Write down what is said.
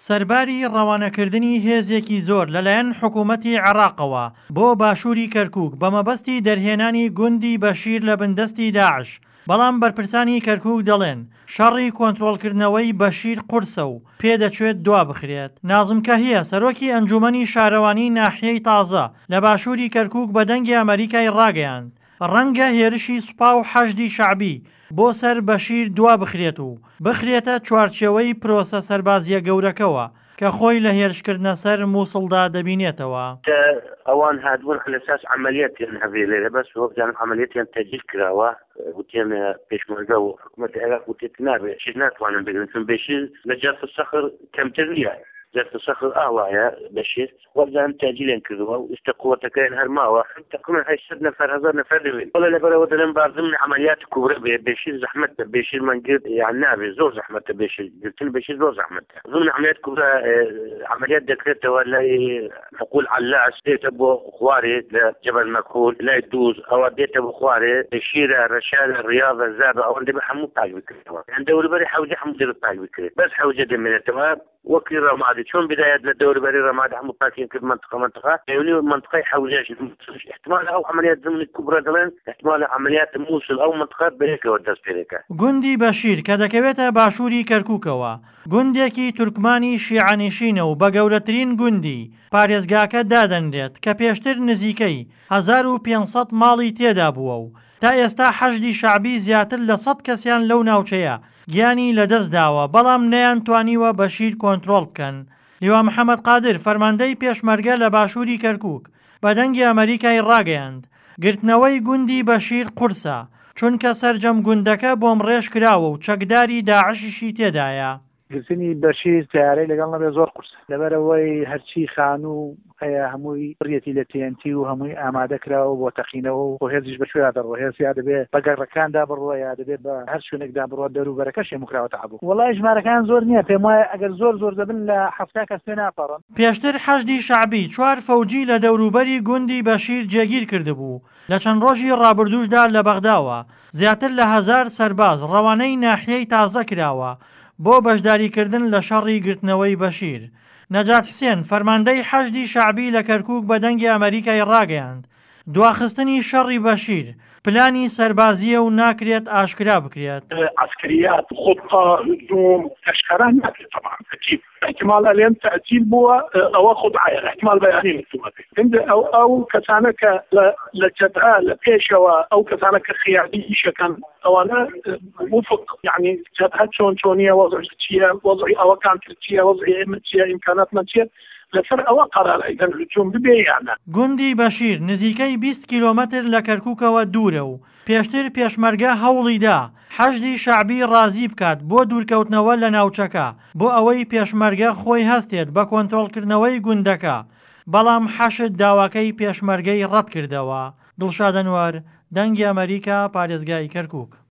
سەرباری ڕەوانەکردنی هێزێکی زۆر لەلایەن حکوومەتی عێراقەوە بۆ باشووری کەرکووک بە مەبەستی دەرهێنانی گوندی بەشیر لە بندەستی داعش، بەڵام بەرپرسانی کەرکووک دەڵێن، شەڕی کۆنترۆڵکردنەوەی بەشیر قورسە و پێدەچێت دوابخرێت. نازم کەهیە، سەرۆکی ئەنجوومەنی شارەوانی ناحیەی تازە لە باشووری کەرکووک بە دەنگی ئەمەریکای ڕاگەیاند، ڕەنگە هێرشی سوپا و حەشدی شەعبی بۆ سەر بەشیر دوابخرێت و بخرێتە چوارچێوەی پرۆسە سەربازییە گەورەکەوە کە خۆی لە هێرشکردنە سەر موسڵدا دەبینێتەوە. کە ئەوان هاتبوون عەلەساس عەمەلیەتیان هەبێ لێرە بەس وەبزانم عەمەلیەتیان تەجیل کراوە وتیان پێشمەرگە و حکومەتی عێراق وتێت نابێ شیر ناتوانن بگرن چون بێشیر لە جەرف سەخر کەمتر نییە جەرف سەخر ئاوایە بەشیر وەبزانم تەجیلیان کردووە و ئیستا قوەتەکەیان هەر ماوە تقریبا 800 نەفەر هەزار نەفەر دەبێن وەڵا لەبەرەوە دەلێم با ضمن عملیات کوبرە بێ بێشیر زەحمەتە بێشیرمان گرت یان نابێ زۆر زەحمەتە بێشیر گرتن بێشیر زۆر زەحمەتە ضمن عملیات کوبرە عملیات دەکرێتەوە لای حقول علاس دێتە بۆ خوارێ لە جبل مەکحول لای دووز ئەوە دێتە بۆ خوارێ شیرە رەشالە ریاضە زابە ئەوەن دەبێ هەموو پاک بکرێتەوە یان دەوروبەری حەوجە هەموو دەبێ پاک بکرێت بەس حەوجە دەمێنێتەوە وەکی ڕەمادی چۆن بدایەت لە دەوروبەری ڕەمادی هەموو پاکیان کرد مەنتقە مەنتقە پەیوەنی مەنتقەی حەوزەش احتمال ئەو عەمەلیات زمنی کوبرا دەڵێن احتمال عەمەلیات موسڵ ئەو مەنتقە بەیەکەوە دەست پێ دەکات. گوندی بەشیر کە دەکەوێتە باشووری کەرکووکەوە، گوندێکی تورکمانی شیعەنشینە و بە گەورەترین گوندی پارێزگاکە دادەنرێت کە پێشتر نزیکەی 1500 ماڵی تێدا بووە و تا ئێستا حەشدی شەعبی زیاتر لە سەد کەسیان لەو ناوچەیە گیانی لەدەستداوە، بەڵام نەیانتوانیوە بەشیر کۆنترۆڵ بکەن. لیوا محەمەد قادر، فەرماندەی پێشمەرگە لە باشووری کەرکووک، بە دەنگی ئەمەریکای ڕاگەیاند، گرتنەوەی گوندی بەشیر قورسە، چونکە سەرجەم گوندەکە بۆمڕێژ کراوە و چەکداری داعشیشی تێدایە. گرتنی بەشیر تەیارەی لەگەڵ نەبێت زۆر قورسە لەبەرئەوەی هەرچی خانوو هەیە هەمووی پڕیەتی لە تی ئێن تی و هەمووی ئامادە کراوە بۆ تەقینەوە و خۆ هێزیش بە کوێیا دەڕوا هێز یا دەبێ بە گەڕەکاندا بڕوا یا دەبێ بە هەر شوێنێکدا بڕوا دەروبەرەکەش هەموو کراوەتە عەبۆ. وەڵای ژمارەکان زۆر نییە پێم وایە ئەگەر زۆر زۆر دەبن لە 70 کەس تێ ناپەڕن. پێشتر حەشدی شەعبی چوار فەوجی لە دەوروبەری گوندی بەشیر جێگیر کردبوو، لە چەند ڕۆژی ڕابردووشدا لە بەغداوە زیاتر لە هەزار سەرباز ڕەوانەی ناحیەی تازە کراوە بۆ بەشداریکردن لە شەڕی گرتنەوەی بەشیر. نەجات حسێن، فەرماندەی حەشدی شەعبی لە کەرکوک بە دەنگی ئەمەریکای ڕاگەیاند، دواخستنی شەڕی بەشیر، پلانی سەربازییە و ناکرێت ئاشکرا بکرێت. عەسکەریات، خوتە، هجوم، ئاشکرا ناکرێت تەبعەن ئەکید. احتمال ئەلێن تەئجیل بووە ئەوە خودعەیە احتمال بەیانی نووسومەتێ هەندێ ئەو ئەو کەسانە کە لە لە جەبهە لە پێشەوە ئەو کەسانە کە قیادی ئیشەکەن ئەوانە وفق یعنی جەبهە چۆن چۆنیە وەزعی چییە وەزعی ئەوەکان تر چییە وەزعی ئێمە چییە ئیمکاناتمان چییە لەسەر ئەوە قەرار ئەیدەن هجوم ببێ یان نا. گوندی بەشیر نزیکەی 20 کیلۆمەتر لە کەرکوکەوە دوورە و پێشتر پێشمەرگە هەوڵی دا حەشدی شەعبی ڕازی بکات بۆ دوورکەوتنەوە لە ناوچەکە بۆ ئەوەی پێشمەرگە خۆی هەستێت بە کۆنترۆڵکردنەوەی گوندەکە، بەڵام حەشد داواکەی پێشمەرگەی ڕەتکردەوە. دڵشاد ئەنوەر، دەنگی ئەمەریکا، پارێزگای کەرکوک.